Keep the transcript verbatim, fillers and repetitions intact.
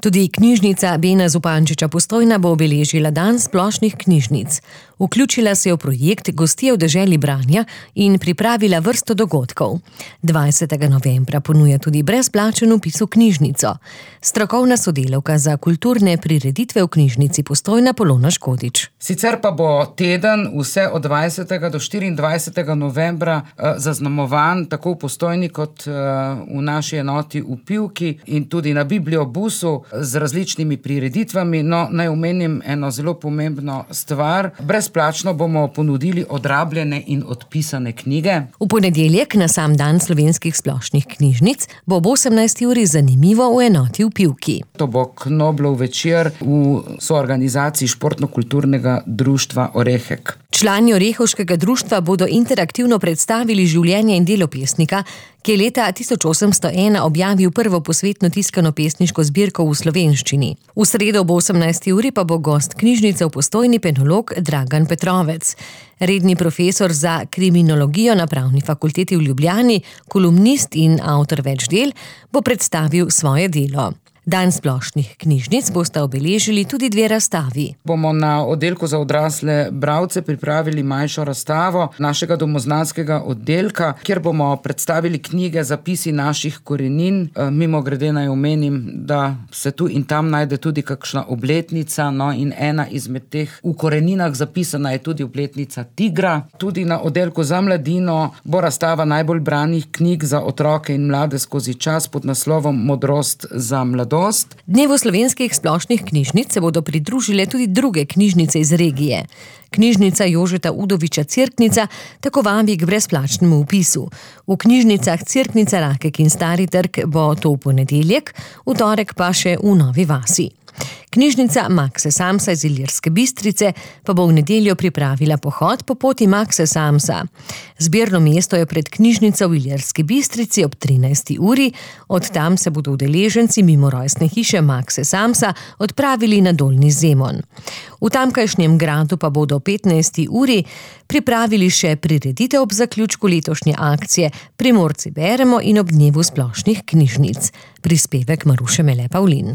Tudi knjižnica Bena Zupančiča Postojna bo obeležila dan splošnih knjižnic. Vključila se je v projekt Gostje v deželi branja in pripravila vrsto dogodkov. dvajsetega novembra ponuja tudi brezplačen vpis v knjižnico. Strokovna sodelavka za kulturne prireditve v knjižnici Postojna Polona Škodič. Sicer pa bo teden vse od dvajsetega do štiriindvajsetega novembra eh, zaznamovan tako v Postojni kot eh, v naši enoti v Pivki in tudi na Bibliobusu z različnimi prireditvami. No, naj omenim eno zelo pomembno stvar. Brezplačno bomo ponudili odrabljene in odpisane knjige. V ponedeljek, na sam dan slovenskih splošnih knjižnic, bo ob osemnajsti uri zanimivo v enoti v Pivki. To bo Knoblov večer v soorganizaciji Športno-kulturnega društva Orehek. Člani Orehovškega društva bodo interaktivno predstavili življenje in delo pesnika, ki je leta tisoč osemsto ena objavil prvo posvetno tiskano pesniško zbirko v slovenščini. V sredo ob osemnajsti uri pa bo gost knjižnice v Postojni penolog Dragan Petrovec. Redni profesor za kriminologijo na Pravni fakulteti v Ljubljani, kolumnist in avtor več del, bo predstavil svoje delo. Dan splošnih knjižnic bosta obeležili tudi dve razstavi. Bomo na oddelku za odrasle bralce pripravili manjšo razstavo našega domoznanskega oddelka, kjer bomo predstavili knjige Zapisi naših korenin. Mimogrede naj omenim, da se tu in tam najde tudi kakšna obletnica, no in ena izmed teh v koreninah zapisana je tudi obletnica tigra. Tudi na oddelku za mladino bo razstava najbolj branih knjig za otroke in mlade skozi čas pod naslovom Modrost za mladost. Dnevu slovenskih splošnih knjižnic se bodo pridružile tudi druge knjižnice iz regije. Knjižnica Jožeta Udoviča Cerknica tako vabi k brezplačnemu vpisu. V knjižnicah Cerknica, Rakek in Stari trg bo to v ponedeljek, v torek pa še v Novi vasi. Knjižnica Makse Samsa iz Ilirske Bistrice pa bo v nedeljo pripravila pohod po poti Makse Samsa. Zbirno mesto je pred knjižnico v Ilirski Bistrici ob trinajsti uri, od tam se bodo udeleženci mimo rojstne hiše Makse Samsa odpravili na Dolnji Zemon. V tamkajšnjem gradu pa bodo ob petnajsti uri pripravili še prireditev ob zaključku letošnje akcije Primorci beremo in ob dnevu splošnih knjižnic. Prispevek Maruše Mele Pavlin.